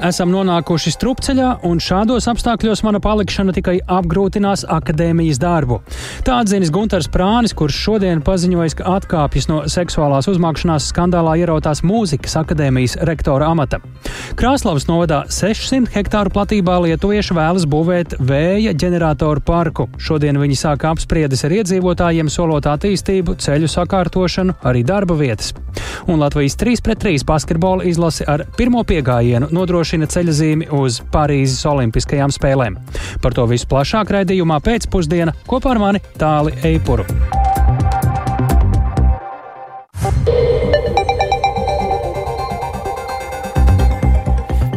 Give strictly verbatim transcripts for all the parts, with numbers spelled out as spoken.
Esam nonākuši strupceļā, un šādos apstākļos mana palikšana tikai apgrūtinās akadēmijas darbu. Tā atzinis Guntars Prānis, kurš šodien paziņojis, ka atkāpjas no seksuālās uzmākšanās skandālā ierautās mūzikas akadēmijas rektora amata. Krāslavas novadā sešsimt hektāru platībā lietuvieši vēlas būvēt vēja ģeneratoru parku. Šodien viņi sāka apspriedes ar iedzīvotājiem, solot attīstību, ceļu sakārtošanu, arī darba vietas. Un Latvijas trīs pret trīs basketbola izlase ar pirmo piegājienu nodrošina ceļazīmi uz Parīzes olimpiskajām spēlēm. Par to visu plašāk raidījumā pēcpusdiena kopā ar mani Tāli Eipuru.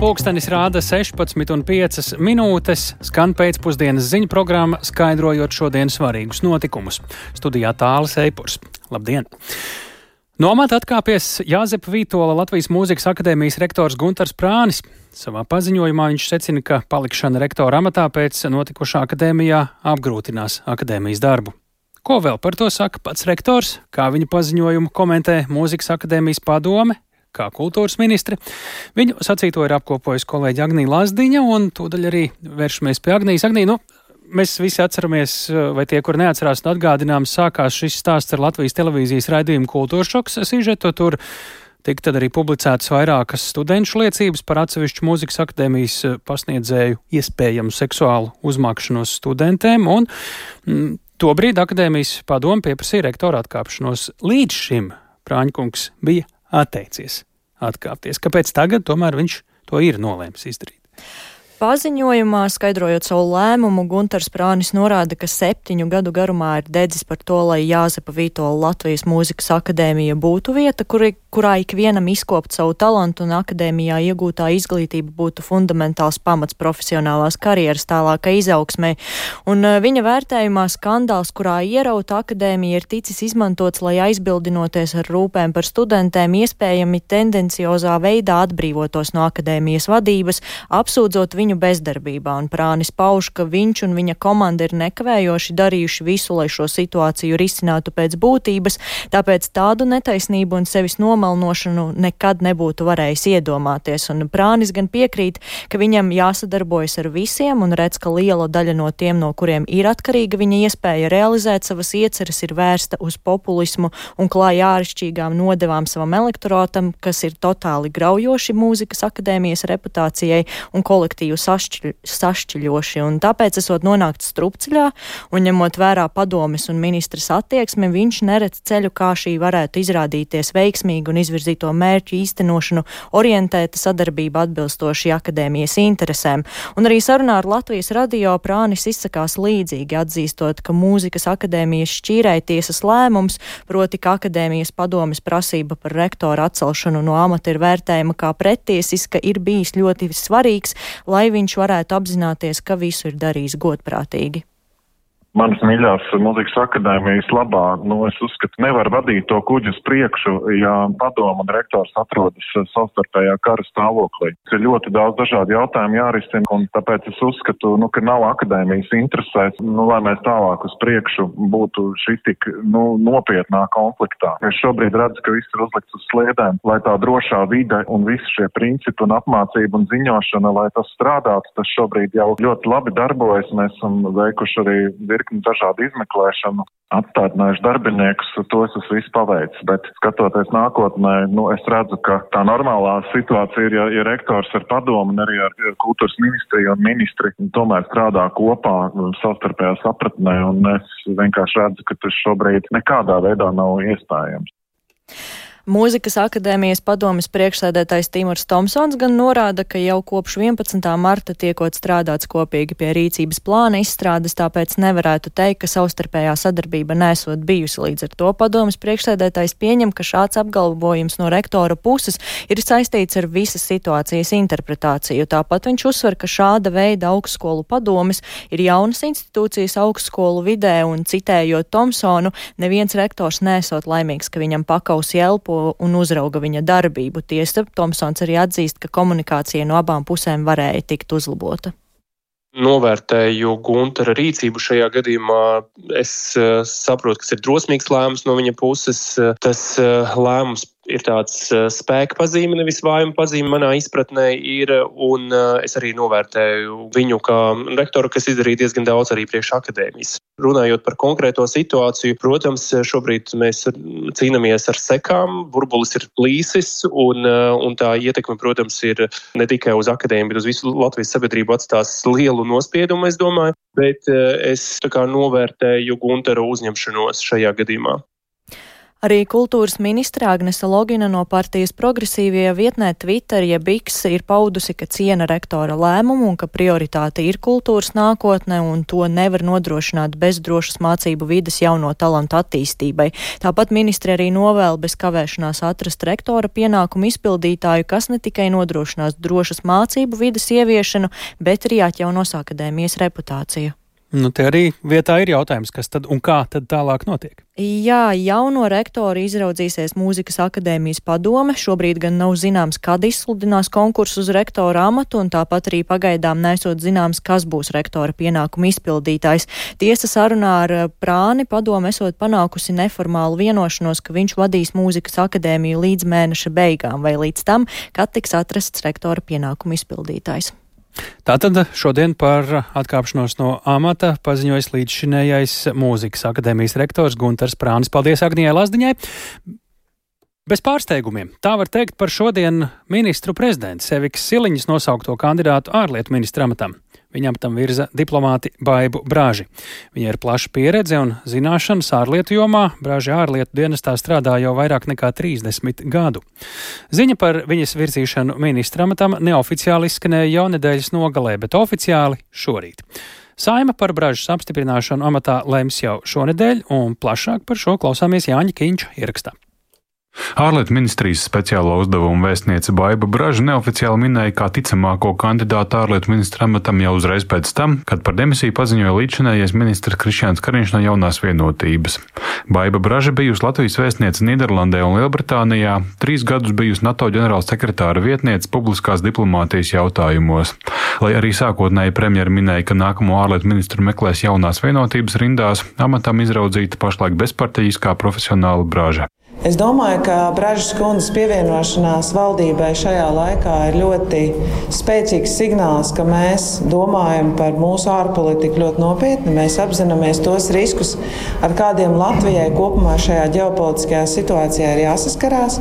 Pulkstenis rāda sešpadsmit un piecas minūtes, skan pēcpusdienas ziņu programma, skaidrojot šodien svarīgus notikumus. Studijā Tālis Eipurs. Labdien! No amata atkāpies Jāzepa Vītola Latvijas Mūzikas akadēmijas rektors Guntars Prānis. Savā paziņojumā viņš secina, ka palikšana rektora amatā pēc notikušā akadēmijā apgrūtinās akadēmijas darbu. Ko vēl par to saka pats rektors? Kā viņa paziņojumu komentē Mūzikas akadēmijas padome? Kā kultūras ministre? Viņu sacīto ir apkopojusi kolēģi Agnija Lazdiņa, un tūdaļ arī vēršamies pie Agnijas. Agnija, nu, mēs visi atceramies, vai tie, kur neatcerās, un atgādinājums, sākās šis stāsts ar Latvijas televīzijas raidījumu Kultūras šoks sižetu. Tur tika tad arī publicētas vairākas studenšu liecības par atsevišķu mūzikas akadēmijas pasniedzēju iespējamu seksuālu uzmākšanos studentēm, un mm, tobrīd akadēmijas padome pieprasīja rektora atkāpšanos. Līdz šim Prāņkungs bija atteicies atkāpties. Kāpēc tagad tomēr viņš to ir nolēmis izdarīt? Paziņojumā, skaidrojot savu lēmumu, Guntars Prānis norāda, ka septiņu gadu garumā ir dedzis par to, lai Jāzepa Vītola Latvijas Mūzikas akadēmija būtu vieta, kuri, kurā ikvienam izkopt savu talantu un akadēmijā iegūtā izglītība būtu fundamentāls pamats profesionālās karjeras tālākai izaugsmai. Un viņa vērtējumā skandāls, kurā ierauta akadēmija, ir ticis izmantots, lai aizbildinoties ar rūpēm par studentēm, iespējami tendenciozā veidā atbrīvotos no akadēmijas vadības, apsūdzot viņu bezdarbībā, un Prānis pauž, ka viņš un viņa komanda ir nekavējoši darījuši visu, lai šo situāciju risinātu pēc būtības, tāpēc tādu netaisnību un sevis nomalnošanu nekad nebūtu varējis iedomāties, un Prānis gan piekrīt, ka viņam jāsadarbojas ar visiem, un redz, ka liela daļa no tiem, no kuriem ir atkarīga viņa iespēja realizēt savas ieceres, ir vērsta uz populismu un klāja āršķirīgām nodevām savam elektorātam, kas ir totāli graujoši mūzikas akadēmijas reputācijai un kolektīvu sašķiļ, sašķiļoši, un tāpēc esot nonākt strupceļā, un ņemot vērā padomes un ministras attieksmi, viņš neredz ceļu, kā šī varētu izrādīties veiksmīgi un izvirzīto mērķu īstenošanu orientēta sadarbība atbilstoši akadēmijas interesēm. Un arī sarunā ar Latvijas radio Prānis izsakās līdzīgi, atzīstot, ka mūzikas akadēmijas šķīrēja tiesas lēmums, proti, ka akadēmijas padomes prasība par rektora atcelšanu no amata ir vērtējama kā pretiesiska, ir bijis ļoti svarīgs, lai viņš varētu apzināties, ka visu ir darījis godprātīgi. Manas mīļās mūzikas akadēmijas labā, nu, es uzskatu, nevar vadīt to kuģi uz priekšu, ja padoma un rektors atrodas savstarpējā kara stāvoklī. Ir ļoti daudz dažādu jautājumu jārisina, un tāpēc es uzskatu, nu, ka nav akadēmijas interesēs, nu, lai mēs tālāk uz priekšu būtu šī tik, nu, nopietnā konfliktā. Es šobrīd redzu, ka viss ir uzlikts uz sliedēm, lai tā drošā vide un visi šie principi un apmācība un ziņošana, lai tas strādātu, tas šobrīd jau ļoti labi darbojas. Mēs esam veikuši arī dažādu izmeklēšanu, atstādinājuši darbiniekus, to es esmu visu paveicis, bet skatoties nākotnē, nu, es redzu, ka tā normālā situācija ir, ja, ja rektors ar padomu un arī ar kultūras ministriju un ministri tomēr strādā kopā savstarpējā sapratnē, un es vienkārši redzu, ka tas šobrīd nekādā veidā nav iespējams. Mūzikas akadēmijas padomes priekšsēdētājs Timurs Tomsons gan norāda, ka jau kopš vienpadsmitā marta tiekot strādāts kopīgi pie rīcības plāna izstrādes, tāpēc nevarētu teikt, ka savstarpējā sadarbība nesot bijusi. Līdz ar to padomes priekšsēdētājs pieņem, ka šāds apgalvojums no rektora puses ir saistīts ar visas situācijas interpretāciju. Tāpat viņš uzsver, ka šāda veida augstskolu padomes ir jaunas institūcijas augstskolu vidē, un citējot Tomsonu, neviens rektors nesot laimīgs, ka viņam pakausi elpo un uzrauga viņa darbību. Tiesa, Tomsons arī atzīst, ka komunikācija no abām pusēm varēja tikt uzlabota. Novērtēju Guntara rīcību šajā gadījumā. Es uh, saprotu, kas ir drosmīgs lēmums no viņa puses. Tas uh, lēmums ir tāds spēka pazīme, nevis vājuma pazīme manā izpratnē ir, un es arī novērtēju viņu kā rektoru, kas izdarīja diezgan daudz arī priekš akadēmijas. Runājot par konkrēto situāciju, protams, šobrīd mēs cīnāmies ar sekām, burbulis ir plīsis, un, un tā ietekme, protams, ir ne tikai uz akadēmiju, bet uz visu Latvijas sabiedrību atstās lielu nospiedumu, es domāju, bet es tā kā novērtēju Gunteru uzņemšanos šajā gadījumā. Arī kultūras ministre Agnese Logina no partijas Progresīvie vietnē Twitter jeb X ir paudusi, ka ciena rektora lēmumu un ka prioritāte ir kultūras nākotne un to nevar nodrošināt bez drošas mācību vides jauno talantu attīstībai. Tāpat ministre arī novēl bez kavēšanās atrast rektora pienākumu izpildītāju, kas ne tikai nodrošinās drošas mācību vides ieviešanu, bet arī atjaunos akadēmijas reputāciju. Nu, te arī vietā ir jautājums, kas tad un kā tad tālāk notiek? Jā, jauno rektoru izraudzīsies Mūzikas akadēmijas padome. Šobrīd gan nav zināms, kad izsludinās konkursu uz rektora amatu, un tāpat arī pagaidām nesot zināms, kas būs rektora pienākumu izpildītājs. Tiesa sarunā ar Prāni padome esot panākusi neformālu vienošanos, ka viņš vadīs Mūzikas akadēmiju līdz mēneša beigām vai līdz tam, kad tiks atrasts rektora pienākumu izpildītājs. Tātad šodien par atkāpšanos no amata paziņojas līdzšinējais Mūzikas akadēmijas rektors Gunters Prānis. Paldies Agnijai Lazdiņai. Bez pārsteigumiem. Tā var teikt par šodien ministru prezidents Evikas Siliņas nosaukto kandidātu ārlietu ministra amatam. Viņam tam virza diplomāti Baibu Braži. Viņai ir plaša pieredze un zināšanas ārlietu jomā. Braži ārlietu dienestā strādā jau vairāk nekā trīsdesmit gadu. Ziņa par viņas virzīšanu ministra amatam neoficiāli izskanēja jau nedēļas nogalē, bet oficiāli šorīt. Saima par Bražas apstiprināšanu amatā lems jau šonedēļ, un plašāk par šo klausāmies Jāņa Kīņša ierakstā. Ārlietu ministrijas speciālo uzdevumu vēstniece Baiba Braža neoficiāli minēja kā ticamāko kandidātu ārlietu ministra amatam jau uzreiz pēc tam, kad par demisiju paziņoja līdzšinējais ministrs Krišjāns Kariņš no Jaunās vienotības. Baiba Braža bijusi Latvijas vēstniece Nīderlandē un Lielbritānijā, trīs gadus bijusi NATO ģenerālsekretāra vietniece publiskās diplomātijas jautājumos. Lai arī sākotnēji premjera minēja, ka nākamo ārlietu ministru meklēs Jaunās vienotības rindās, amatam izraudzīta pašlaik bezpartijiskā profesionāla Braža. Es domāju, ka Bražas kundzes pievienošanās valdībai šajā laikā ir ļoti spēcīgs signāls, ka mēs domājam par mūsu ārpolitiku ļoti nopietni. Mēs apzināmies tos riskus, ar kādiem Latvijai kopumā šajā ģeopolitiskajā situācijā ir jāsaskarās.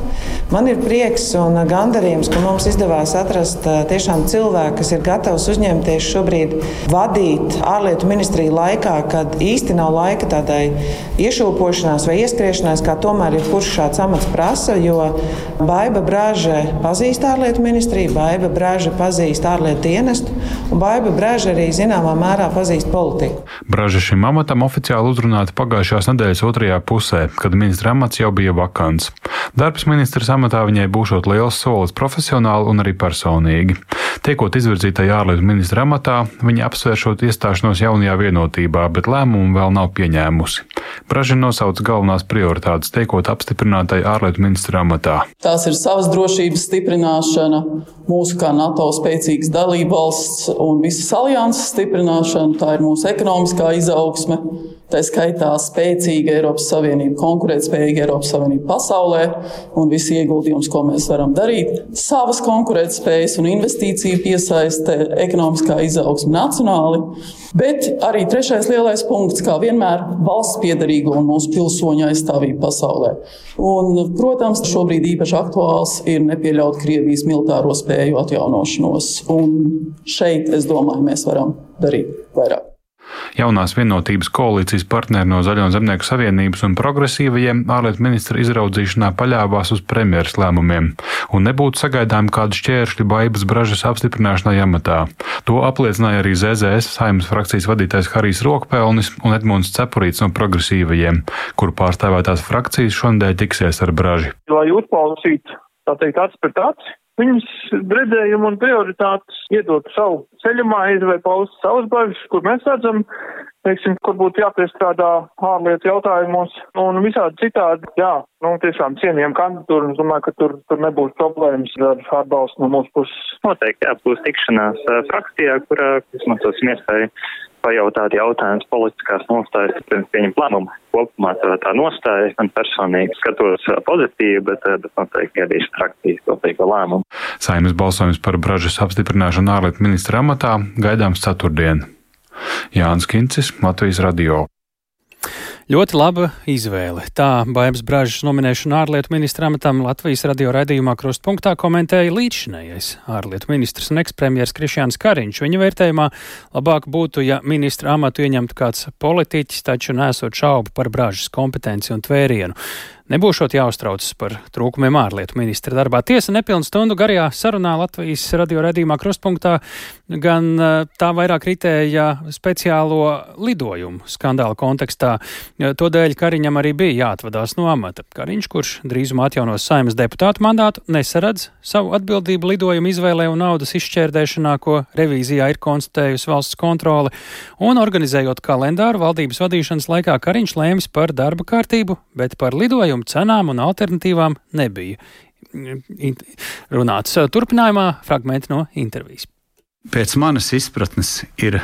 Man ir prieks un gandarījums, ka mums izdevās atrast tiešām cilvēku, kas ir gatavs uzņemties šobrīd vadīt ārlietu ministriju laikā, kad īsti nav laika tādai iešūpošanās vai ieskriešanās, kā tomēr ir kurš šāds amats prasa, jo Baiba Braža pazīst ārlietu ministriju, Baiba Braža pazīst ārlietu dienestu, un Baiba Braža arī zināmā mērā pazīst politiku. Braža šim amatam oficiāli uzrunāta pagājušās nedēļas otrajā pusē, kad ministra amats jau bija vakants. Darbs ministras amatā viņai būšot liels solis profesionāli un arī personīgi. Tiekot izvirzītai ārlietu ministra amatā, viņa apsvēršot iestāšanos jaunajā vienotībā, bet lēmumu vēl nav pieņēmusi. Braža nosauca galvenās prioritātes, tiekot apstiprinātai ārlietu ministra amatā. Tās ir savas drošības stiprināšana, mūsu kā NATO spēcīgas dalībvalsts un visas alianses stiprināšana, tā ir mūsu ekonomiskā izaugsme. Tā skaitā spēcīga Eiropas Savienība, konkurētspējīga Eiropas Savienība pasaulē un visi ieguldījums, ko mēs varam darīt. Savas konkurētspējas un investīciju piesaiste, ekonomiskā izaugsme nacionāli, bet arī trešais lielais punkts, kā vienmēr, valsts piederīgo un mūsu pilsoņu aizstāvību pasaulē. Un, protams, šobrīd īpaši aktuāls ir nepieļaut Krievijas militāro spēju atjaunošanos. Un šeit, es domāju, mēs varam darīt vairāk. Jaunās vienotības koalīcijas partneri no Zaļo zemnieku savienības un progresīvajiem ārlietu ministra izraudzīšanā paļāvās uz premjeras lēmumiem, un nebūtu sagaidām kādu šķēršļu Baibas Bražas apstiprināšanai amatā. To apliecināja arī Z Z S Saeimas frakcijas vadītājs Harijs Rokpelnis un Edmunds Cepurīts no progresīvajiem, kuru pārstāvētās frakcijas šonadēļ tiksies ar Braži. Lai uzklausītu, tā teikt, acis pret aci, viņas redzējumu un prioritātes iedot savu ceļamaizi vai paust savas bažas, kur mēs redzam, teiksim, kur būtu jāpiestrādā ārlietu jautājumos un visādi citādi. Jā, nu tiešām cienījam kandidatūru un es domāju, ka tur, tur nebūs problēmas ar atbalstu no mūsu puses. Noteikti, jā, būs tikšanās frakcijā, kurā izmantosim iespēju pajautāt jautājumus politiskās nostājas, pirms pieņem lēmumu. Kopumā tā nostāja man personīgi skatos pozitīvi, bet, bet noteikti gaidīšu frakcijas kopīgo lēmumu. Saeimas balsojums par Bražas apstiprināšanu ārlietu ministra amatā gaidāms ceturtdien. Jānis Kincis, Latvijas radio. Ļoti laba izvēle. Tā Baibas Bražas nominēšanu ārlietu ministra amatam Latvijas radio raidījumā Krustpunktā komentēja līdzšinējais ārlietu ministrs un ekspremjers Krišjāns Kariņš. Viņa vērtējumā labāk būtu, ja ministra amatu ieņemtu kāds politiķis, taču nesot šaubu par Bražas kompetenci un tvērienu. Nebūšot jāuztraucas par trūkumiem ārlietu ministra darbā. Tiesa nepilnu stundu garajā sarunā Latvijas radio raidījumā Krustpunktā gan tā vairāk ritēja speciālo lidojumu skandāla kontekstā. Todēļ Kariņam arī bija jāatvadās no amata. Kariņš, kurš drīzumā atjaunos Saeimas deputātu mandātu, nesaredz savu atbildību lidojumu izvēlē un naudas izšķērdēšanā, ko revīzijā ir konstatējusi valsts kontrole, un organizējot kalendāru valdības vadīšanas laikā Kariņš lēmis par darba kārtību, bet par lidojumu cenām un alternatīvām nebija runāts. Turpinājumā fragmenti no intervijas. Pēc manas izpratnes ir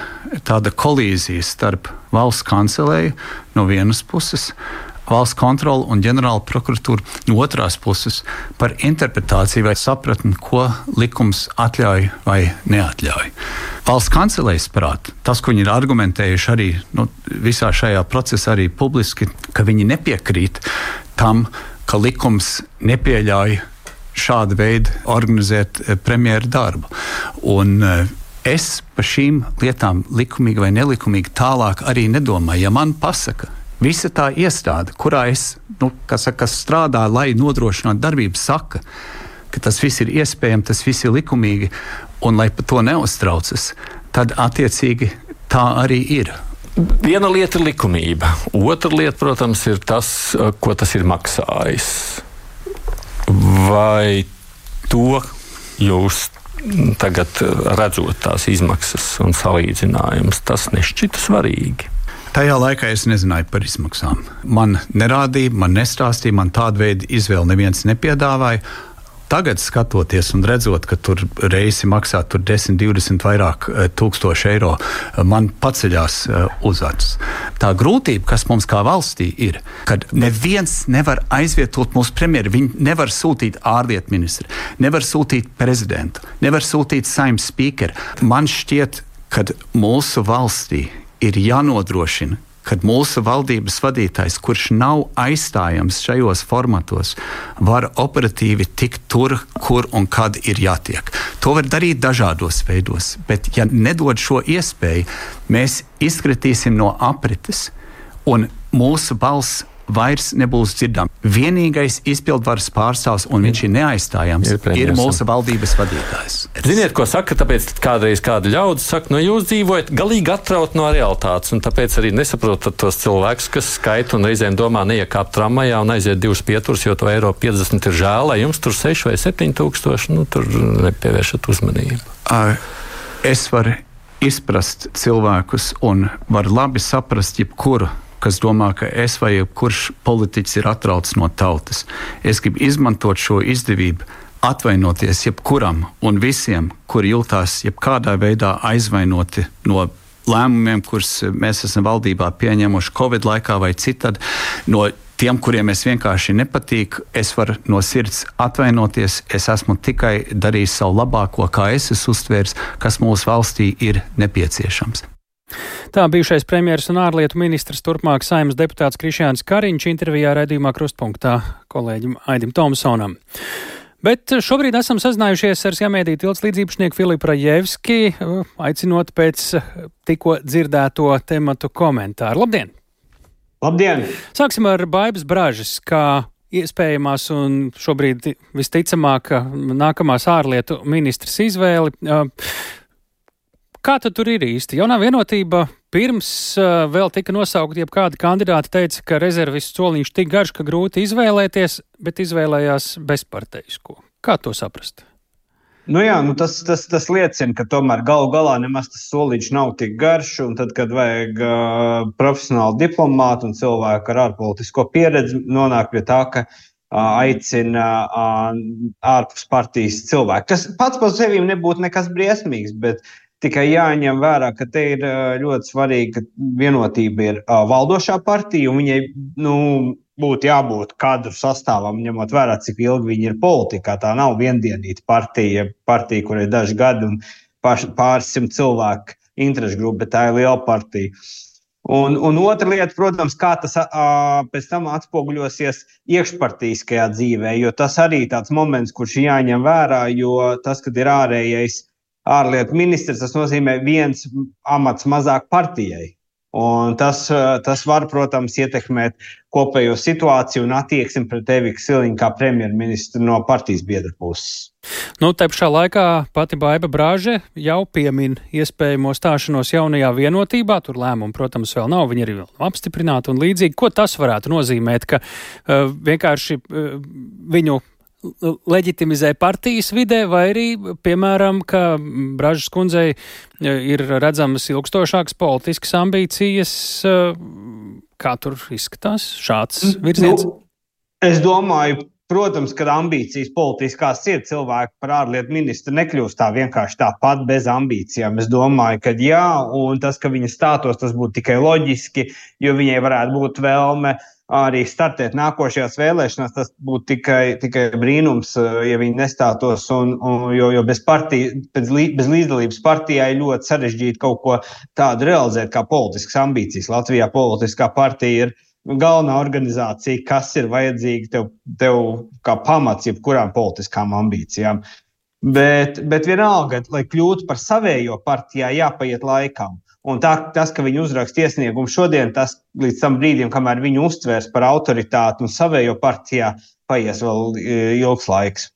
tāda kolīzija starp valsts kancelēju no vienas puses, valsts kontroli un ģenerāla prokuratūru no otrās puses par interpretāciju vai sapratni, ko likums atļauj vai neatļauj. Valsts kancelējas prāt, tas, ko viņi ir argumentējuši arī nu, visā šajā procesā arī publiski, ka viņi nepiekrīt tam, ka likums nepieļauj šādu veidu organizēt premjera darbu. Un es par šīm lietām likumīgi vai nelikumīgi tālāk arī nedomāju. Ja man pasaka, visa tā iestāde, kurā es, nu, kas, kas strādā, lai nodrošinātu darbību, saka, ka tas viss ir iespējams, tas viss ir likumīgi, un lai par to neuztraucas, tad attiecīgi tā arī ir. Viena lieta ir likumība, otra lieta, protams, ir tas, ko tas ir maksājis. Vai to jūs tagad redzot tās izmaksas un salīdzinājumus, tas nešķita svarīgi? Tajā laikā es nezināju par izmaksām. Man nerādīja, man nestāstīja, man tādu veidu izvēli neviens nepiedāvāja. Tagad skatoties un redzot, ka tur reisi maksā tur desmit, divdesmit vairāk tūkstoši eiro, man paceļās uz acis. Tā grūtība, kas mums kā valstī ir, kad neviens nevar aizvietot mūsu premjeru, viņi nevar sūtīt ārlietu ministru, nevar sūtīt prezidentu, nevar sūtīt Saeimas spīkeru. Man šķiet, kad mūsu valstī ir jānodrošina, kad mūsu valdības vadītājs, kurš nav aizstājams šajos formatos, var operatīvi tikt tur, kur un kad ir jātiek. To var darīt dažādos veidos, bet ja nedod šo iespēju, mēs izkritīsim no aprites un mūsu balss vairs nebūs dzirdama. Vienīgais izpildvaras pārstāvs, un viņš ir neaizstājams, ir, ir mūsu valdības vadītājs. Ziniet, ko saka, tāpēc kādreiz kāda ļaudis saka, nu jūs dzīvojat galīgi atraut no realitātes, un tāpēc arī nesaprotat tos cilvēkus, kas skaita un reizēm domā neiekāp tramvajā un aiziet divus pieturus, jo to eiro piecdesmit ir žēl, lai jums tur seši vai septiņi tūkstoši, nu tur nepievēršat uzmanību. Es varu izprast cilvēkus un varu labi saprast jebkuru, kas domā, ka es vai jebkurš politiķis ir atrauts no tautas. Es gribu izmantot šo izdevību, atvainoties jebkuram un visiem, kuri jūtās jebkādā veidā aizvainoti no lēmumiem, kurus mēs esam valdībā pieņemuši Covid laikā vai citādi, no tiem, kuriem es vienkārši nepatīk. Es varu no sirds atvainoties, es esmu tikai darījis savu labāko, kā es esmu uztvērs, kas mūsu valstī ir nepieciešams. Tā bijušais premjeras un ārlietu ministrs, turpmāk Saeimas deputāts Krišjāns Kariņš intervijā raidījumā Krustpunktā kolēģim Aidim Tomsonam. Bet šobrīd esam sazinājušies ar Sjammediju tilts līdzīpašnieku Filipu Rajevski, aicinot pēc tikko dzirdēto tematu komentāru. Labdien! Labdien! Sāksim ar Baibas Bražas, kā iespējamās un šobrīd visticamāk nākamās ārlietu ministras izvēli. Kā tad tur ir īsti? Jaunā vienotība pirms uh, vēl tika nosaukt, jeb kādi kandidāti teica, ka rezervistu soliņš tik garš, ka grūti izvēlēties, bet izvēlējās bezparteisko. Kā to saprast? Nu jā, nu tas, tas, tas liecina, ka tomēr galu galā nemaz tas soliņš nav tik garš, un tad, kad vajag uh, profesionālu diplomātu un cilvēku ar ārpolitisko pieredzi, nonāk pie tā, ka aicina ārpus partijas cilvēku. Tas pats par sevi nebūtu nekas briesmīgs, bet Tikai jāņem vērā, ka te ir ļoti svarīgi, ka vienotība ir valdošā partija, un viņai nu, būtu jābūt kadru sastāvam, ņemot vērā, cik ilgi viņi ir politikā. Tā nav viendienīta partija, partija, kur ir daži gadi un pāris simt cilvēku interešu grupa, bet tā ir liela partija. Un, un otra lieta, protams, kā tas a, pēc tam atspoguļosies iekšpartijiskajā dzīvē, jo tas arī tāds moments, kurš jāņem vērā, jo tas, kad ir ārējais ārlietu ministrs, tas nozīmē viens amats mazāk partijai. Un tas, tas var, protams, ietekmēt kopējo situāciju un attieksmi pret Eviku Siliņu kā premjerministru no partijas biedra puses. Nu, te pašā laikā pati Baiba Braže jau piemin iespējamo stāšanos jaunajā vienotībā. Tur lēmumu, protams, vēl nav, viņi arī vēl nav apstiprināti un līdzīgi. Ko tas varētu nozīmēt, ka uh, vienkārši uh, viņu leģitimizē partijas vidē, vai arī, piemēram, ka Bražas kundzei ir redzamas ilgstošākas politiskas ambīcijas. Kā tur izskatās šāds virziens? Nu, es domāju, protams, ka ambīcijas politiskās ir, cilvēki par ārlietu ministru nekļūst tā vienkārši tāpat bez ambīcijām. Es domāju, ka jā, un tas, ka viņa stātos, tas būtu tikai loģiski, jo viņai varētu būt vēlme arī startēt nākošajās vēlēšanās, tas būtu tikai, tikai brīnums, ja viņi nestātos, un, un, jo, jo bez, partija, bez, bez līdzdalības partijai ļoti sarežģīti kaut ko tādu realizēt kā politiskas ambīcijas. Latvijā politiskā partija ir galvenā organizācija, kas ir vajadzīga tev, tev kā pamats jebkurām politiskām ambīcijām. Bet, bet vienalga, lai kļūtu par savējo partijā, jāpaiet laikam. Un tā, tas, ka viņi uzraksta iesniegumu šodien, tas līdz tam brīdim, kamēr viņu uztvērs par autoritāti un savējo partijā, paies vēl ilgs laiks.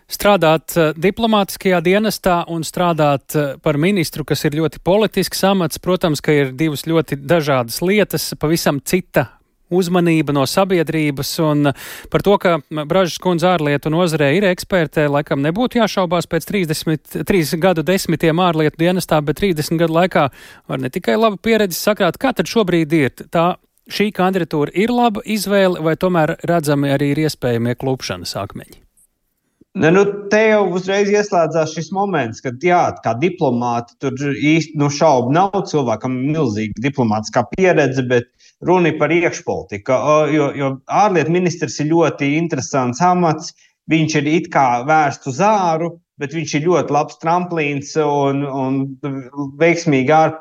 Strādāt diplomātiskajā dienestā un strādāt par ministru, kas ir ļoti politisks amats, protams, ka ir divas ļoti dažādas lietas, pavisam cita uzmanība no sabiedrības, un par to, ka Bražas kundze ārlietu nozarē ir ekspertē, laikam nebūtu jāšaubās pēc trīsdesmit trīs gadu desmitiem ārlietu dienestā, bet trīsdesmit gadu laikā var ne tikai laba pieredze sakrāt. Kā tad šobrīd ir? Tā, šī kandidatūra ir laba izvēle, vai tomēr redzami arī ir iespējamie klupšanas akmeņi? Ne, nu, te jau uzreiz ieslēdzās šis moments, kad jā, kā diplomāti tur īsti nu, šaubu nav, cilvēkam milzīga diplomātiskā pieredze, bet runa ir par iekšpolitiku, jo, jo ārlietu ministrs ir ļoti interesants amats, viņš ir it kā vērsts uz āru, bet viņš ir ļoti labs tramplīns un, un veiksmīgi ār,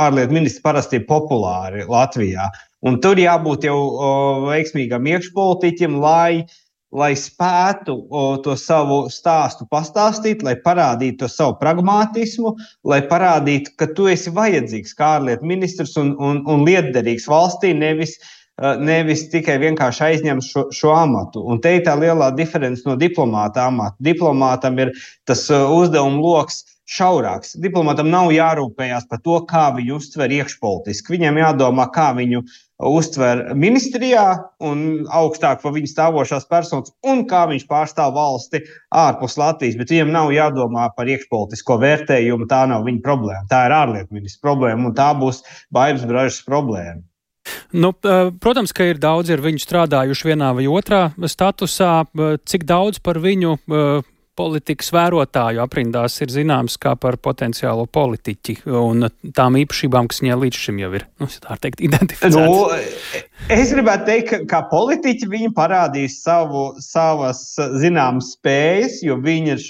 ārlietu ministri parasti ir populāri Latvijā. Un tur jābūt jau o, veiksmīgam iekšpolitiķim, lai lai spētu o, to savu stāstu pastāstīt, lai parādītu to savu pragmātismu, lai parādītu, ka tu esi vajadzīgs kā ārlietu ministrs un, un, un lietderīgs valstī, nevis, nevis tikai vienkārši aizņem šo, šo amatu. Un te ir tā lielā diference no diplomāta amata. Diplomātam ir tas uzdevuma loks šaurāks. Diplomātam nav jārūpējās par to, kā viņu uztver iekšpolitiski. Viņam jādomā, kā viņu uztver ministrijā un augstāk par viņu stāvošās personas un kā viņš pārstāv valsti ārpus Latvijas, bet viņam nav jādomā par iekšpolitisko vērtējumu, tā nav viņa problēma. Tā ir ārlietu ministra problēma un tā būs Baibas Bražas problēma. Nu, protams, ka ir daudz ir viņu strādājuši vienā vai otrā statusā. Cik daudz par viņu politikas vērotāju aprindās ir zināms kā par potenciālo politiķi un tām īpašībām, kas viņai līdz šim jau ir, nu, tā teikt, identificētas? Nu, es gribētu teikt, ka kā politiķi viņi parādīs savu, savas zināmas spējas, jo viņi ir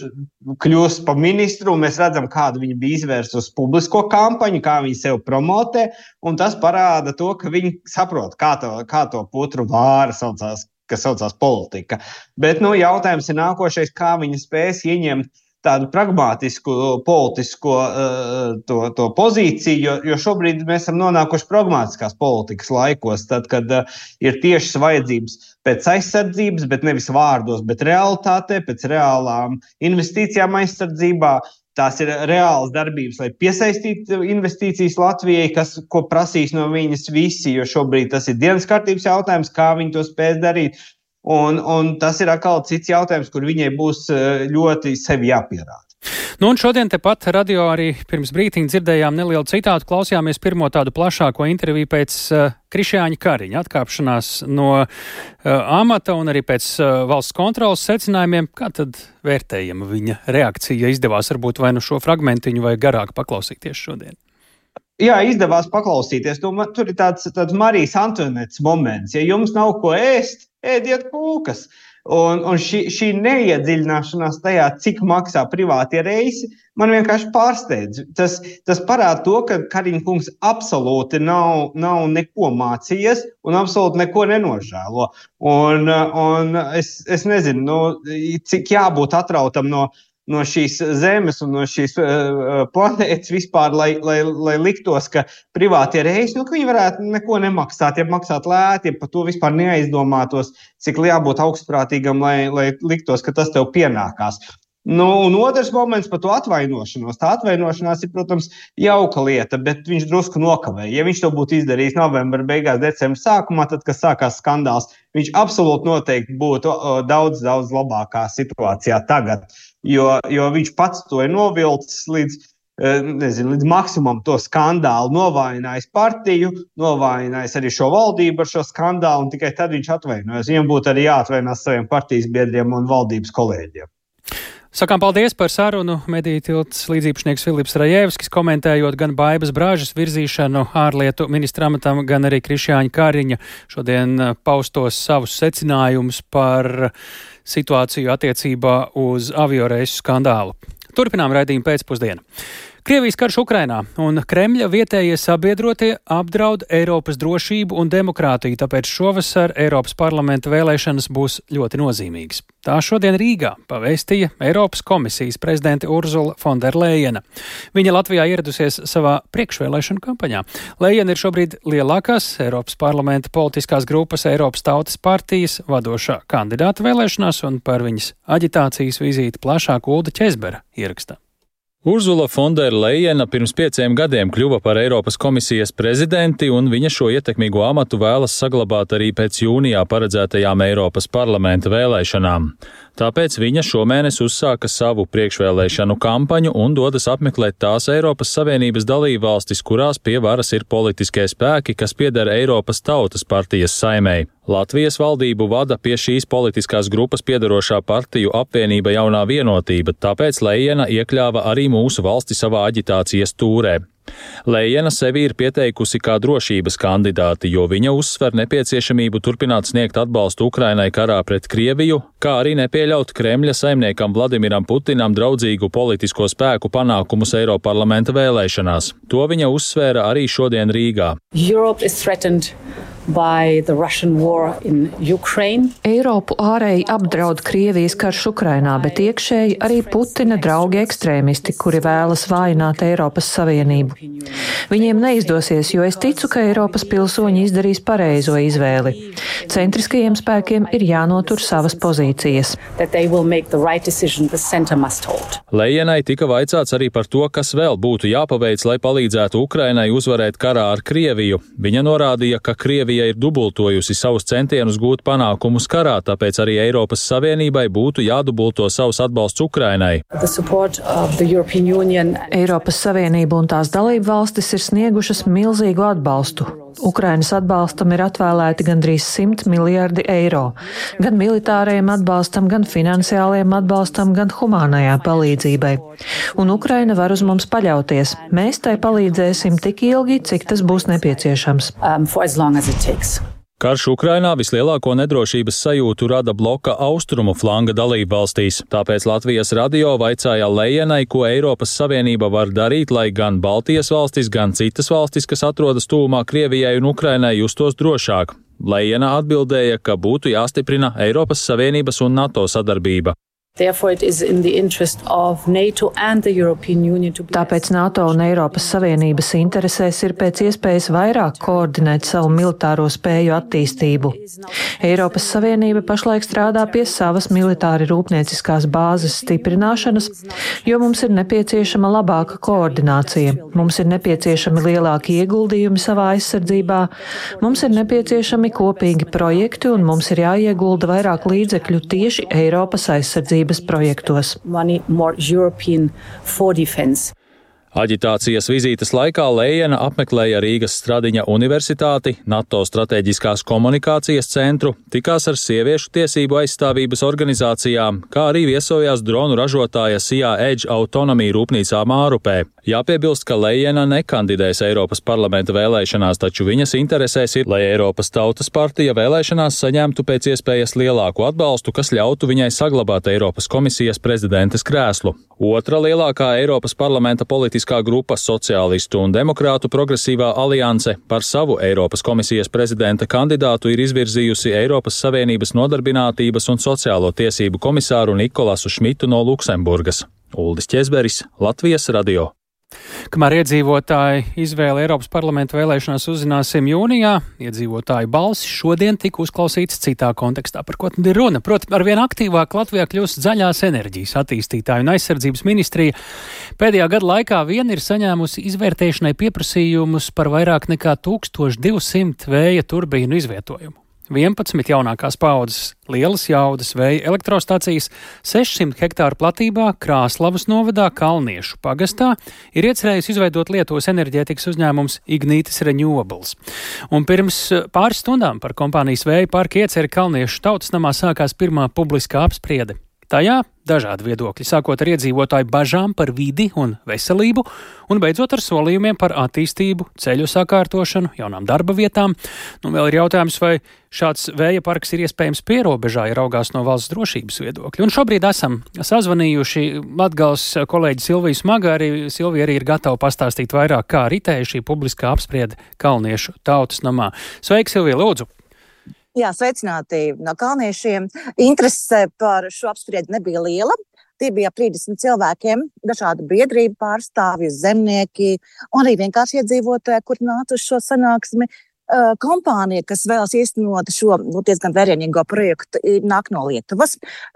kļūst par ministru, un mēs redzam, kādu viņi bija izvērst uz publisko kampaņu, kā viņi sev promotē, un tas parāda to, ka viņi saprot, kā to, kā to putru vāra saucās, kas saucās politika. Bet, nu, jautājums ir nākošais, kā viņi spēs ieņemt tādu pragmātisku politisko uh, to, to pozīciju, jo, jo šobrīd mēs esam nonākuši pragmātiskās politikas laikos, tad, kad uh, ir tiešas vajadzības pēc aizsardzības, bet nevis vārdos, bet realitātē, pēc reālām investīcijām aizsardzībā. Tās ir reālas darbības, lai piesaistītu investīcijas Latvijai, kas, ko prasīs no viņas visi, jo šobrīd tas ir dienas kārtības jautājums, kā viņi to spēs darīt. Un, un tas ir atkal cits jautājums, kur viņai būs ļoti sevi jāpierāda. Nu, un šodien tepat radio arī pirms brītiņa dzirdējām nelielu citātu, klausījāmies pirmo tādu plašāko interviju pēc uh, Krišjāņa Kariņa atkāpšanās no uh, amata un arī pēc uh, valsts kontrolas secinājumiem. Kā tad vērtējama viņa reakcija? Izdevās varbūt vai nu šo fragmentiņu vai garāk paklausīties šodien? Jā, izdevās paklausīties. Nu, tur ir tāds, tāds Marijas Antonetes moments. Ja jums nav ko ēst, ēdiet kūkas. Un, un šī, šī neiedziļināšanās tajā, cik maksā privātie reisi, man vienkārši pārsteidz. Tas, tas parāda to, ka Kariņa kungs absolūti nav, nav neko mācījies un absolūti neko nenožēlo. Un, un es, es nezinu, nu, cik jābūt atrautam no, no šīs zemes un no šīs uh, planētas vispār, lai, lai, lai liktos, ka privātie reisi, nu, ka viņi varētu neko nemaksāt, ja maksāt lēti, ja par to vispār neaizdomātos, cik jābūt augstprātīgam, lai, lai liktos, ka tas tev pienākās. Nu, un otrs moments par to atvainošanos. Tā atvainošanās ir, protams, jauka lieta, bet viņš drusku nokavēja. Ja viņš to būtu izdarījis novembra beigās, decembra sākumā, tad, kad sākās skandāls, viņš absolūti noteikti būtu o, daudz, daudz labākā situācijā tagad. Jo, jo viņš pats to ir novilcis līdz, nezinu, līdz maksimumam to skandālu, novājinājis partiju, novājinājis arī šo valdību ar šo skandālu, un tikai tad viņš atvainojas. Viņam būtu arī jāatvainās saviem partijas biedriem un valdības kolēģiem. Sakām paldies par sarunu. Mediju tilts līdzīpašnieks Filips Rajevskis, komentējot gan Baibas Bražas virzīšanu ārlietu ministra amatam, gan arī Krišjāņa Kariņa šodien paustos savus secinājumus par situāciju attiecībā uz avioreisu skandālu. Turpinām raidījumu pēcpusdienu. Krievijas karš Ukrainā un Kremļa vietējie sabiedrotie apdraud Eiropas drošību un demokrātiju, tāpēc šovasar Eiropas parlamenta vēlēšanas būs ļoti nozīmīgas. Tā šodien Rīgā pavēstīja Eiropas komisijas prezidente Urzula Fonderlejena. Viņa Latvijā ieradusies savā priekšvēlēšanu kampaņā. Lejena ir šobrīd lielākās Eiropas parlamenta politiskās grupas Eiropas Tautas partijas vadošā kandidāta vēlēšanās, un par viņas aģitācijas vizīti plašāk Ulda Ķezbera ierakstā. Urzula Fonderlejena pirms pieciem gadiem kļuva par Eiropas komisijas prezidenti, un viņa šo ietekmīgo amatu vēlas saglabāt arī pēc jūnijā paredzētajām Eiropas parlamenta vēlēšanām. Tāpēc viņa šomēnes uzsāka savu priekšvēlēšanu kampaņu un dodas apmeklēt tās Eiropas Savienības dalībvalstis, kurās pie varas ir politiskie spēki, kas pieder Eiropas Tautas partijas saimei. Latvijas valdību vada pie šīs politiskās grupas piedarošā partiju apvienība Jaunā vienotība, tāpēc Lejena iekļāva arī mūsu valsti savā aģitācijas tūrē. Lejena sevi ir pieteikusi kā drošības kandidāti, jo viņa uzsver nepieciešamību turpināt sniegt atbalstu Ukrainai karā pret Krieviju, kā arī nepieļaut Kremļa saimniekam Vladimiram Putinam draudzīgu politisko spēku panākumus Eiroparlamenta vēlēšanās. To viņa uzsvēra arī šodien Rīgā. Eiropu ārēji apdraud Krievijas karš Ukrainā, bet iekšēji arī Putina draugi ekstrēmisti, kuri vēlas vājināt Eiropas Savienību. Viņiem neizdosies, jo es ticu, ka Eiropas pilsoņi izdarīs pareizo izvēli. Centriskajiem spēkiem ir jānotur savas pozīcijas. Lejenai tika vaicāts arī par to, kas vēl būtu jāpaveic, lai palīdzētu Ukrainai uzvarēt karā ar Krieviju. Viņa norādīja, ka Krievija ir dubultojusi savus centienus gūt panākumus karā, tāpēc arī Eiropas Savienībai būtu jādubulto savus atbalsts Ukrainai. Eiropas Savienība un tās dalību valstis ir sniegušas milzīgu atbalstu. Ukrainas atbalstam ir atvēlēti gandrīz simt miljardi eiro. Gan militārajam atbalstam, gan finansiālajam atbalstam, gan humānajā palīdzībai. Un Ukraina var uz mums paļauties. Mēs tai palīdzēsim tik ilgi, cik tas būs nepieciešams. Um, Karš Ukrainā vislielāko nedrošības sajūtu rada bloka austrumu flanga dalībvalstīs, tāpēc Latvijas radio vaicāja Lejenai, ko Eiropas Savienība var darīt, lai gan Baltijas valstis, gan citas valstis, kas atrodas tuvumā Krievijai un Ukrainai, justos drošāk. Lejena atbildēja, ka būtu jāstiprina Eiropas Savienības un NATO sadarbība. Tāpēc NATO un Eiropas Savienības interesēs ir pēc iespējas vairāk koordinēt savu militāro spēju attīstību. Eiropas Savienība pašlaik strādā pie savas militāri rūpnieciskās bāzes stiprināšanas, jo mums ir nepieciešama labāka koordinācija, mums ir nepieciešami lielāki ieguldījumi savā aizsardzībā, mums ir nepieciešami kopīgi projekti un mums ir jāiegulda vairāk līdzekļu tieši Eiropas aizsardzības aizsardzības projektos. Aģitācijas vizītes laikā Lejena apmeklēja Rīgas Stradiņa universitāti, NATO strateģiskās komunikācijas centru, tikās ar sieviešu tiesību aizstāvības organizācijām, kā arī viesojās dronu ražotāja Sijā Edge autonomija rūpnīcā Mārupē. Jāpiebilst, ka Lejena nekandidēs Eiropas parlamenta vēlēšanās, taču viņas interesēs ir, lai Eiropas Tautas partija vēlēšanās saņemtu pēc iespējas lielāku atbalstu, kas ļautu viņai saglabāt Eiropas komisijas prezidentes krēslu. Otra lielākā Eiropas parlamenta politiskā grupa Sociālistu un Demokrātu progresīvā alianse par savu Eiropas komisijas prezidenta kandidātu ir izvirzījusi Eiropas Savienības nodarbinātības un sociālo tiesību komisāru Nikolasu Šmitu no Luksemburgas. Uldis Ķezberis, Latvijas radio. Kamēr iedzīvotāji izvēli Eiropas parlamenta vēlēšanās uzzināsim jūnijā, iedzīvotāju balsis šodien tika uzklausīts citā kontekstā, par ko tad ir runa. Proti, arvien aktīvāk Latvijā kļūst zaļās enerģijas attīstītāju un aizsardzības ministrija. Pēdējā gada laikā vien ir saņēmusi izvērtēšanai pieprasījumus par vairāk nekā tūkstoš divsimt vēja turbīnu izvietojumu. vienpadsmit jaunākās paaudzes lielas jaudas vēja elektrostacijas sešsimt hektāru platībā Krāslavas novadā Kalniešu pagastā ir iecerējis izveidot Lietuvas enerģētikas uzņēmums Ignitis Renewables. Un pirms pāris stundām par kompānijas vēja parka ieceri Kalniešu tautas namā sākās pirmā publiskā apspriede. Tajā dažādi viedokļi, sākot ar iedzīvotāju bažām par vidi un veselību, un beidzot ar solījumiem par attīstību, ceļu sakārtošanu, jaunām darba vietām. Nu, vēl ir jautājums, vai šāds vēja parks ir iespējams pierobežā, ja raugās no valsts drošības viedokļa. Un šobrīd esam sazvanījuši Latgales kolēģi Silviju Smagu, arī Silvija arī ir gatava pastāstīt vairāk, kā ritēja šī publiskā apspriede Kalniešu tautas namā. Sveiki, Silvija, lūdzu! Jā, sveicināti no kalniešiem. Interese par šo apspriedi nebija liela. Tie bija ap trīsdesmit cilvēkiem, dažādu biedrību pārstāvji, zemnieki un arī vienkārši iedzīvotāji, kur nāca uz šo sanāksmi. Kompānija, kas vēlas īstenot šo nu, diezgan vērienīgo projektu, nāk no Lietuvas.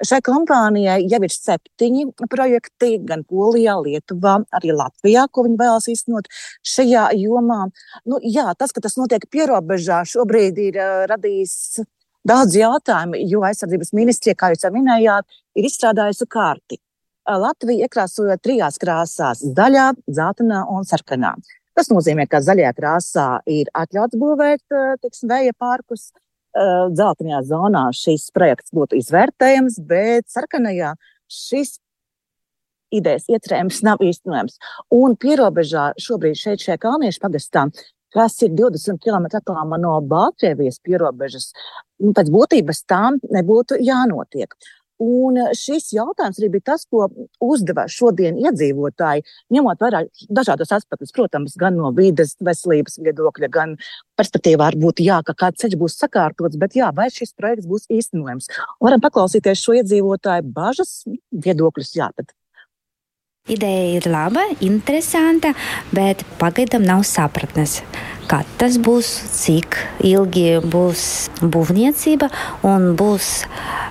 Šai kompānijai jau ir septiņi projekti gan Polijā, Lietuvā, arī Latvijā, ko viņi vēlas īstenot šajā jomā. Nu, jā, tas, ka tas notiek pierobežā, šobrīd ir uh, radījis daudz jautājumu, jo aizsardzības ministrija, kā jūs jau minējāt, ir izstrādājusi karti. Uh, Latvija iekrāsojot trijās krāsās - zaļā, dzeltenā un sarkanā. Tas nozīmē, ka zaļajā krāsā ir atļauts būvēt, teiksim, vēja parkus. Dzeltenajā zonā šis projekts būtu izvērtējams, bet sarkanajā šis idejas iecerējums nav īstenojams. Un pierobežā šobrīd šeit šajā Kalniešu pagastā, kas ir divdesmit kilometru attālumā no Baltkrievijas pierobežas, pēc būtības tām nebūtu jānotiek. Un šis jautājums arī bija tas, ko uzdeva šodien iedzīvotāji, ņemot vērā dažādos aspektus, protams, gan no vides, veselības viedokļa, gan perspektīvā varbūt jā, ka kāds ceļš būs sakārtots, bet jā, vai šis projekts būs īstenojams. Varam paklausīties šo iedzīvotāju bažas, viedokļus, jā, tad. Ideja ir laba, interesanta, bet pagaidām nav sapratnes, kā tas būs, cik ilgi būs būvniecība un būs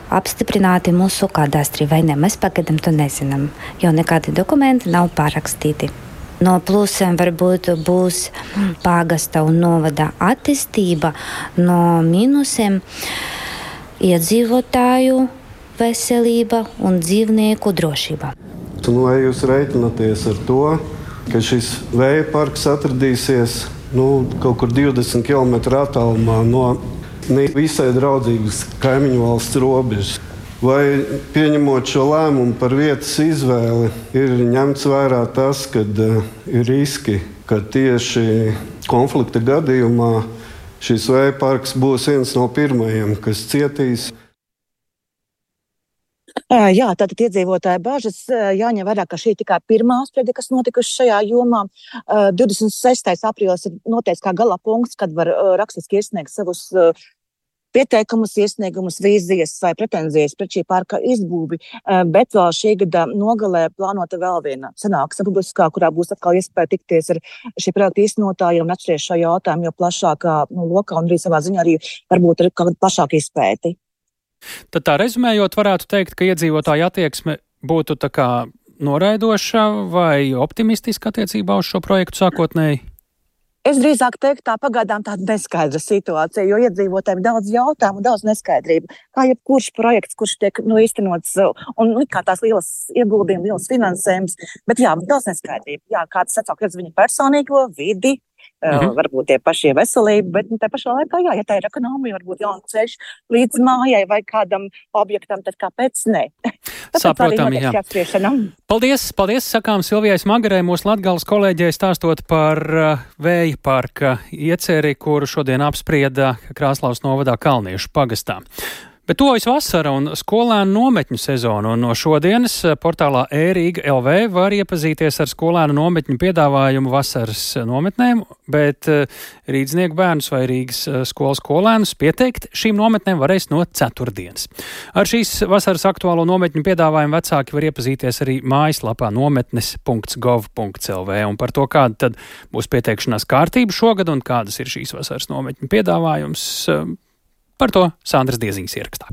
apstiprināti mūsu kadastri vai ne. Mēs pagaidām to nezinām, jo nekādi dokumenti nav pārakstīti. No plusiem varbūt būs pagasta un novada attīstība, no mīnusiem iedzīvotāju veselība un dzīvnieku drošība. Un vai jūs reiķināties ar to, ka šis vēja parks atradīsies nu, kaut kur divdesmit kilometru attālumā no visai draudzīgas kaimiņu valsts robežas? Vai pieņemot šo lēmumu par vietas izvēli, ir ņemts vērā tas, ka uh, ir riski, ka tieši konflikta gadījumā šis vēja parks būs viens no pirmajiem, kas cietīs? Jā, tātad iedzīvotāja bažas jāņem vērā, ka šī ir tikai pirmā apspriede, kas notikusi šajā jomā. divdesmit sestais aprīlis ir noteikts kā gala punkts, kad var rakstiski iesniegt savus pieteikumus, iesniegumus, vīzijas vai pretenzijas pret šī parka izbūvi, bet vēl šī gada nogalē plānota vēl viena sanāksme publiskā, kurā būs atkal iespēja tikties ar šī projekta īstenotājiem un atšķiries šo jautājumu jau plašākā nu, lokā un arī savā ziņā arī varbūt ar kādu plašāku izpēti. Tad tā rezumējot, varētu teikt, ka iedzīvotāja attieksme būtu tā kā noraidoša vai optimistiska attiecībā uz šo projektu sākotnēji? Es drīzāk teiktu, tā pagaidām tāda neskaidra situācija, jo iedzīvotājiem ir daudz jautājumu, daudz neskaidrību. Kā jebkurš projekts, kurš tiek nu, īstenots, un nu, kā tās lielas ieguldījumi, lielas finansējums, bet jā, daudz neskaidrību. Jā, kāds atsauksies viņu personīgo vidi, mhm. varbūt tie pašie veselību, bet nu, tā pašā laikā, jā, ja tā ir ekonomija, varbūt jauns ceļš līdz mājai vai kādam objektam, tad kāpēc ne? Saprotam, jā. Paldies, paldies, sakām Silvijai Smagarei, mūsu Latgales kolēģei, stāstot par uh, vēja parka ieceri, kuru šodien apsprieda Krāslavas novadā Kalniešu pagastā. Bet tuvojas vasara un skolēnu nometņu sezona, un no šodienas portālā e-Rīga L V var iepazīties ar skolēnu nometņu piedāvājumu vasaras nometnēm, bet Rīdznieku bērnus vai Rīgas skolas skolēnus pieteikt šīm nometnēm varēs no ceturtdienas. Ar šīs vasaras aktuālo nometņu piedāvājumu vecāki var iepazīties arī mājaslapā nometnes punkts gov punkts L V, un par to, kāda tad būs pieteikšanās kārtība šogad un kādas ir šīs vasaras nometņu piedāvājums. Par to Sandras Dieziņas ierakstā.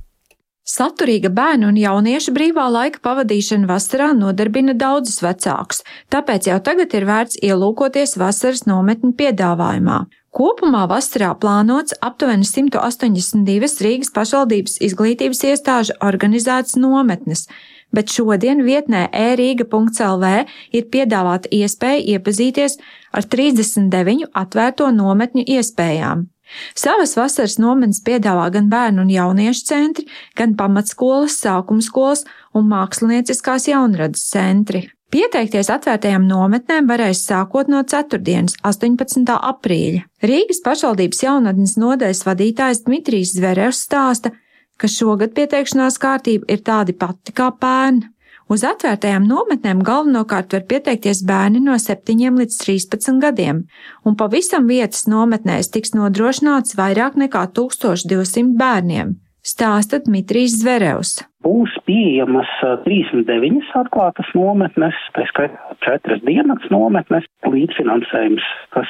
Saturīga bērnu un jauniešu brīvā laika pavadīšana vasarā nodarbina daudzus vecākus, tāpēc jau tagad ir vērts ielūkoties vasaras nometņu piedāvājumā. Kopumā vasarā plānots aptuveni simt astoņdesmit divas Rīgas pašvaldības izglītības iestāžu organizētas nometnes, bet šodien vietnē e rīga punkts L V ir piedāvāta iespēja iepazīties ar trīsdesmit deviņu atvērto nometņu iespējām. Savas vasaras nometnes piedāvā gan bērnu un jauniešu centri, gan pamatskolas, sākuma skolas un mākslinieciskās jaunradas centri. Pieteikties atvērtajām nometnēm varēs sākot no ceturtdienas, astoņpadsmitā aprīļa. Rīgas pašvaldības jaunatnes nodaļas vadītājs Dmitrijs Zverevs stāsta, ka šogad pieteikšanās kārtība ir tāda pati kā pērn. Uz atvērtajām nometnēm galvenokārt var pieteikties bērni no septiņiem līdz trīspadsmit gadiem, un pavisam vietas nometnēs tiks nodrošināts vairāk nekā tūkstoš divsimt bērniem, stāsta Dmitrijs Zverevs. Būs pieejamas trīsdesmit deviņas atklātas nometnes, tā skaitā četras diennakts nometnes, līdzfinansējums, kas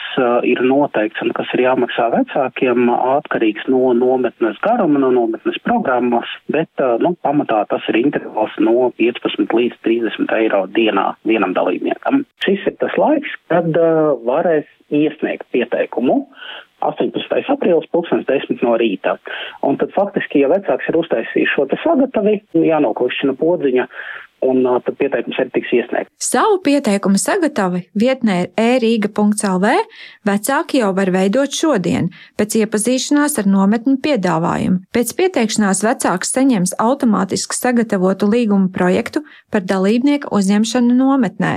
ir noteikts un kas ir jāmaksā vecākiem, atkarīgs no nometnes garuma, no nometnes programmas, bet nu, pamatā tas ir intervals no piecpadsmit līdz trīsdesmit eiro dienā vienam dalībniekam. Šis ir tas laiks, kad varēs iesniegt pieteikumu. astoņpadsmitais aprīlis, pulkstens desmit no rīta. Un tad faktiski, ja vecāks ir uztaisījis šo te sagatavi, jānoklišķina podziņa, un uh, tad pieteikums arī tiks iesniegt. Savu pieteikumu sagatavi vietnē ir e rīga punkts L V vecāki jau var veidot šodien, pēc iepazīšanās ar nometņu piedāvājumu. Pēc pieteikšanās vecāks saņems automātiski sagatavotu līguma projektu par dalībnieku uzņemšanu nometnē.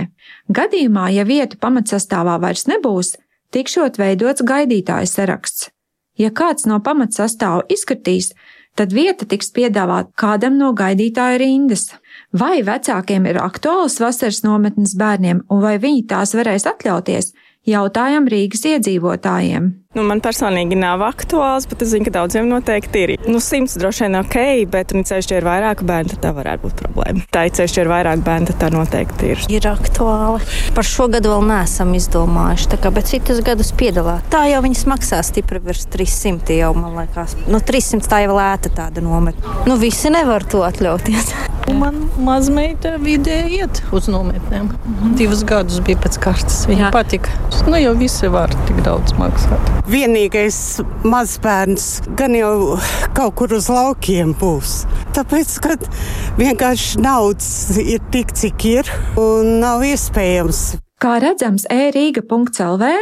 Gadījumā, ja vietu pamatsastāvā vairs nebūs, tikšot veidots gaidītāju saraksts. Ja kāds no pamatsastāvu izskatīs, tad vieta tiks piedāvāta kādam no gaidītāju rindas. Vai vecākiem ir aktuāls vasaras nometnes bērniem un vai viņi tās varēs atļauties, jautājam Rīgas iedzīvotājiem. Nu, man personīgi nav aktuāls, bet es zinu, ka daudziem noteikti ir. Nu, simts droši vien ok, bet un ceļš ir vairāk bērnu, tad tā varētu būt problēma. Tā ir ceļš ir vairāk bērnu, tad tā noteikti ir. Ir aktuāli. Par šo gadu vēl neesam izdomājuši, tā kā, bet citus gadus piedalās. Tā jau viņas maksā stipri virs trīssimti jau, man liekas. Nu, trīssimts tā jau lēta tāda nometne. Nu, visi nevar to atļauties. Man mazmeita vidē iet uz nometnēm. Mhm. Divus gadus bija pēc kārtas. Viņa patika. Nu, jau visi var tik daudz maksāt. Vienīgais mazbērns gan jau kaut kur uz laukiem būs. Tāpēc, ka vienkārši naudas ir tik, cik ir, un nav iespējams. Kā redzams, e rīga punkts L V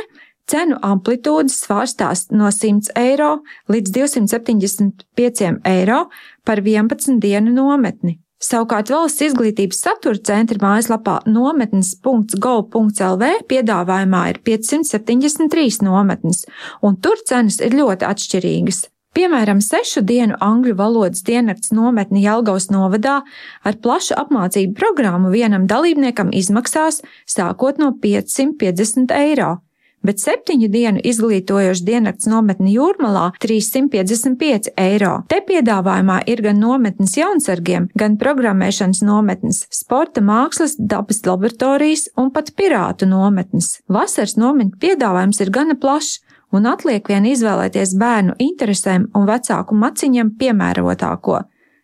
cenu amplitūdas svārstās no simts eiro līdz divsimt septiņdesmit pieci eiro par vienpadsmit dienu nometni. Savukārt valsts izglītības satura centra mājaslapā nometnes punkts gov punkts L V piedāvājumā ir piecsimt septiņdesmit trīs nometnes, un tur cenas ir ļoti atšķirīgas. Piemēram, sešu dienu angļu valodas diennakts nometne Jelgavas novadā ar plašu apmācību programmu vienam dalībniekam izmaksās sākot no piecsimt piecdesmit eiro. Bet septiņu dienu izglītojoša diennakts nometne Jūrmalā trīssimt piecdesmit pieci eiro. Te piedāvājumā ir gan nometnes jaunsargiem, gan programmēšanas nometnes, sporta mākslas, dabas laboratorijas un pat pirātu nometnes. Vasaras nometņu piedāvājums ir gana plašs, un atliek vien izvēlēties bērnu interesēm un vecāku maciņam piemērotāko.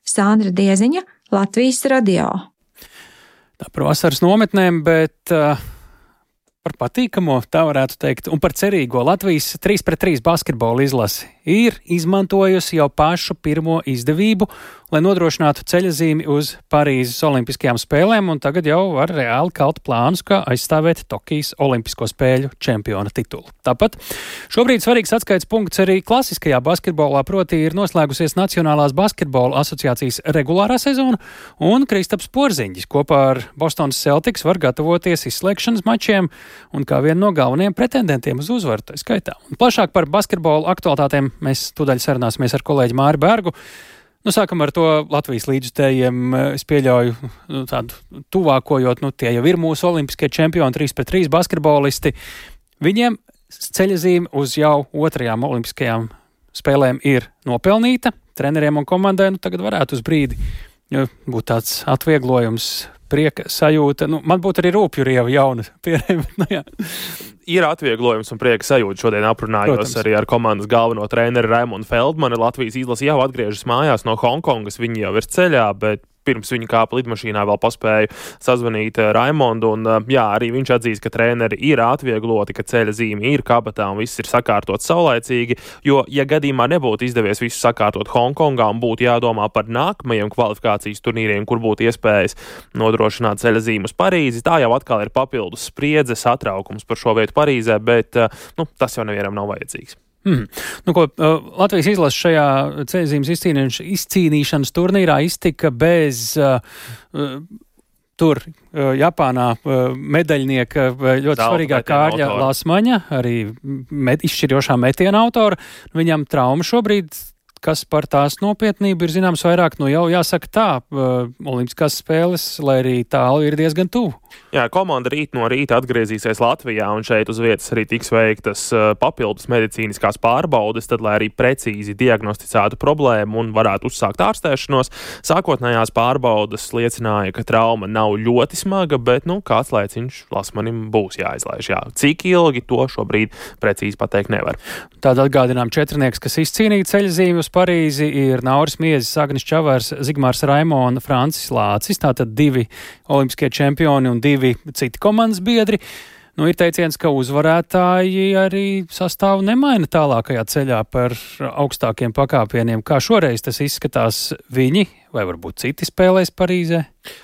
Sandra Dieziņa, Latvijas radio. Tā par vasaras nometnēm, bet uh... par patīkamo, tā varētu teikt, un par cerīgo Latvijas trīs pret trīs basketbola izlasi ir izmantojusi jau pašu pirmo izdevību, lai nodrošinātu ceļazīmi uz Parīzes olimpiskajām spēlēm, un tagad jau var reāli kalt plānus, kā aizstāvēt Tokijas olimpisko spēļu čempiona titulu. Tāpat šobrīd svarīgs atskaites punkts arī klasiskajā basketbolā, proti ir noslēgusies Nacionālās basketbola asociācijas regulārā sezona, un Kristaps Porziņģis kopā ar Bostonas Celtics var gatavoties izslēgšanas mačiem un kā vienu no galvenajiem pretendentiem uz uzvaru, tā skaitā. Un plašāk par basketbola aktualitātēm mēs tūdaļ sarunāsimies ar kolēģi Māri Bergu. Nu, sākam ar to Latvijas līdzjutējiem, es pieļauju nu, tādu tuvākojot, nu, tie jau ir mūsu olimpiskie čempioni, trīs pret trīs basketbolisti. Viņiem ceļazīme uz jau otrajām olimpiskajām spēlēm ir nopelnīta. Treneriem un komandai nu, tagad varētu uz brīdi būt tāds atvieglojums, prieka sajūta. Nu, man būtu arī rūpju rieva jauna pierēma. Nu, jā. Ir atvieglojums un prieka sajūta. Šodien aprunājos Protams. Arī ar komandas galveno treneri Raimondu Feldmanu. Latvijas izlase jau atgriežas mājās no Hongkongas. Viņi jau ir ceļā, bet pirms viņa kāpa lidmašīnā vēl paspēju sazvanīt Raimondu. Un, jā, arī viņš atzīst, ka treneri ir atviegloti, ka ceļa zīme ir kabatā un viss ir sakārtots saulaicīgi. Jo, ja gadījumā nebūtu izdevies visu sakārtot Hongkongā un būtu jādomā par nākamajiem kvalifikācijas turnīriem, kur būtu iespējas nodrošināt ceļa zīmu uz Parīzi, tā jau atkal ir papildus spriedze, satraukums par šo vietu Parīzē, bet nu, tas jau nevienam nav vajadzīgs. Mm. Nu, ko, Latvijas izlase šajā ceļzīmes izcīnīšanas turnīrā iztika bez uh, tur uh, Japānā uh, medaļnieka ļoti Zelta svarīgā Kārļa Lasmaņa, arī met, izšķirošā metiena autora. Viņam trauma šobrīd, kas par tās nopietnību ir zināms vairāk, nu jau jāsaka tā, uh, olimpiskās spēles, lai arī tālu ir diezgan tuvu. Jā, komanda rīt no rīta atgriezīsies Latvijā, un šeit uz vietas arī tiks veiktas uh, papildus medicīniskās pārbaudes, tad, lai arī precīzi diagnosticētu problēmu un varētu uzsākt ārstēšanos. Sākotnējās pārbaudes liecināja, ka trauma nav ļoti smaga, bet, nu, kāds laiciņš Lasmanim būs jāizlaiž. Jā. Cik ilgi to šobrīd precīzi pateikt nevar. Tāda atgādinām četrnieks, kas izcīnīja ceļzīmi uz Parīzi, ir Nauris Miezis, Agnis Čavars, Zigmārs Raimona, Francis Lācis, tātad divi olimpiskie čempioni un divi citi komandas biedri. Nu, ir teiciens, ka uzvarētāji arī sastāvu nemaina tālākajā ceļā par augstākiem pakāpieniem. Kā šoreiz tas izskatās, viņi vai varbūt citi spēlēs Parīzē?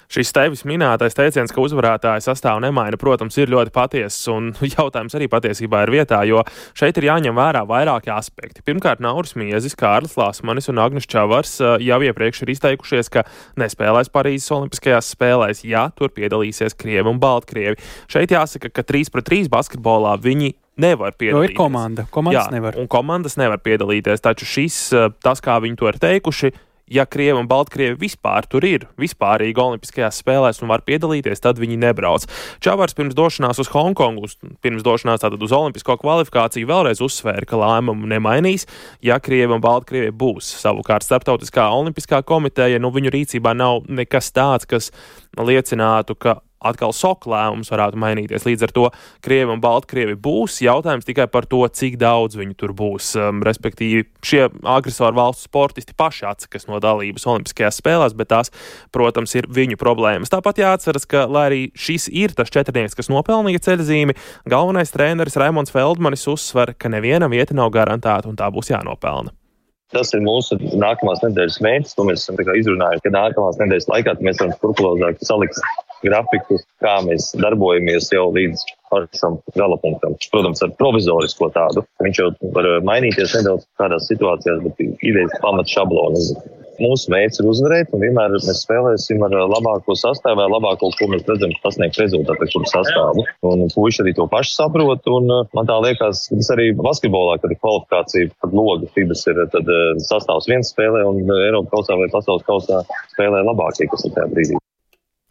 Šis tevis minētais teiciens, ka uzvarētāja sastāvu nemaina, protams, ir ļoti patiesas, un jautājums arī patiesībā ir vietā, jo šeit ir jāņem vērā vairāki aspekti. Pirmkārt, Nauris Miezis, Kārlis Lasmanis un Agnis Čavars jau iepriekš ir izteikušies, ka nespēlēs Parīzes olimpiskajās spēlēs, ja tur piedalīsies Krievi un Baltkrievi. Šeit jāsaka, ka trīs pret trīs basketbolā viņi nevar piedalīties. Jo ir komanda, komandas Jā, nevar. Un komandas nevar piedalīties, taču šis, tas, kā viņi to ir teikuši, ja Krievi un Baltkrievi vispār tur ir, vispārīgi olimpiskajās spēlēs un var piedalīties, tad viņi nebrauc. Čavars pirms došanās uz Hongkongu, pirms došanās tātad uz olimpisko kvalifikāciju vēlreiz uzsvēra, ka lēmumu nemainīs, ja Krievi un Baltkrievi būs. Savukārt Starptautiskā olimpiskā komiteja, nu viņu rīcībā nav nekas tāds, kas liecinātu, ka atkal soka lēmums varētu mainīties. Līdz ar to Krievi un Baltkrievi būs. Jautājums tikai par to, cik daudz viņi tur būs. Um, respektīvi, šie agresoru valstu sportisti paši atsakas no dalības olimpiskajās spēlēs, bet tās, protams, ir viņu problēmas. Tāpat jāatceras, ka, lai arī šis ir tas četrnieks, kas nopelnīja ceļzīmi, galvenais treneris Raimonds Feldmanis uzsver, ka nevienam vieta nav garantēta un tā būs jānopelna. Tas ir mūsu nākamās nedēļas mērķis, to mēs esam izrunājuši, ka nākamās nedēļas laikā mēs varam skrupulozāk salikt grafiku, kā mēs darbojamies jau līdz pašam galapunktam. Protams, ar provizorisko tādu. Viņš jau var mainīties nedaudz kādās situācijās, bet idejas pamats šablonu. Mūsu mērķis ir uzvarēt, un vienmēr mēs spēlēsim ar labāko sastāvu, vai labāko, ko mēs redzam, pasniegt rezultātu, kuru sastāvu. Un puiši arī to paši saprot, un man tā liekas, tas arī basketbolā, kad ir kvalifikācija, kad loga fibas ir, tad sastāvs viens spēlē, un Eiropa kausā vai pasaules kausā spēlē labākie, kas ir tajā brīdī.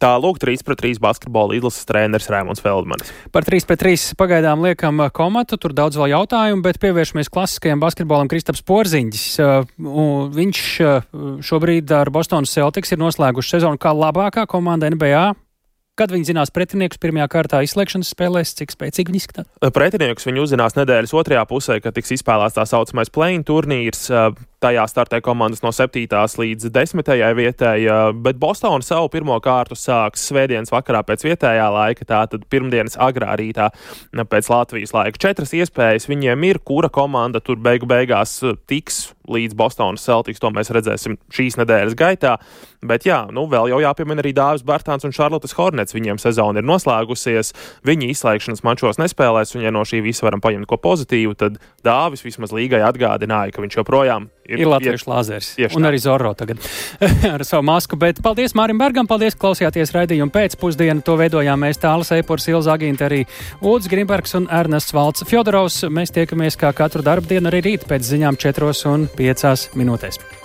Tā lūk, trīs pret trīs basketbola izlases treneris Raimonds Feldmanis. Par trīs pret trīs pagaidām liekam komatu, tur daudz vēl jautājumu, bet pievēršamies klasiskajam basketbolam. Kristaps Porziņģis. Viņš šobrīd ar Bostonas Celtics ir noslēguši sezonu kā labākā komanda N B A. Kad viņi zinās pretiniekus pirmajā kārtā izslēgšanas spēlēs, cik spēcīgi viņi izskatās? Pretiniekus viņi uzzinās nedēļas otrajā pusē, kad tiks izspēlēts tā saucamais play-in turnīrs. tajā startē komandas no septītās līdz desmitajai vietai, bet Bostona savu pirmo kārtu sāks svētdienas vakarā pēc vietējā laika, tātad pirmdienas agrā rītā pēc Latvijas laika. Četras iespējas viņiem ir, kura komanda tur beigu beigās tiks līdz Bostonas Celtics, to mēs redzēsim šīs nedēļas gaitā. Bet jā, nu vēl jau jāpiemina arī Dāvis Bartāns un Charlottes Hornets. Viņiem sezona ir noslēgusies, viņi izslēgšanas mačos nespēlēs, un ja no šī visa varam paņemt ko pozitīvu, tad Dāvis vismaz līgai atgādināja, ka viņš joprojām ir, ir latviešu lāzeris. Un tā. Arī Zorro tagad ar savu masku. Bet paldies Mārim Bergam, paldies, klausījāties raidījumu pēcpusdienu. To veidojām mēs Tāles Eipurs, Ilza Agīnta, arī Ulds Grimbergs un Ernests Valts Fjodorovs. Mēs tiekamies kā katru darbdienu arī rīt pēc ziņām četros un piecās minūtēs.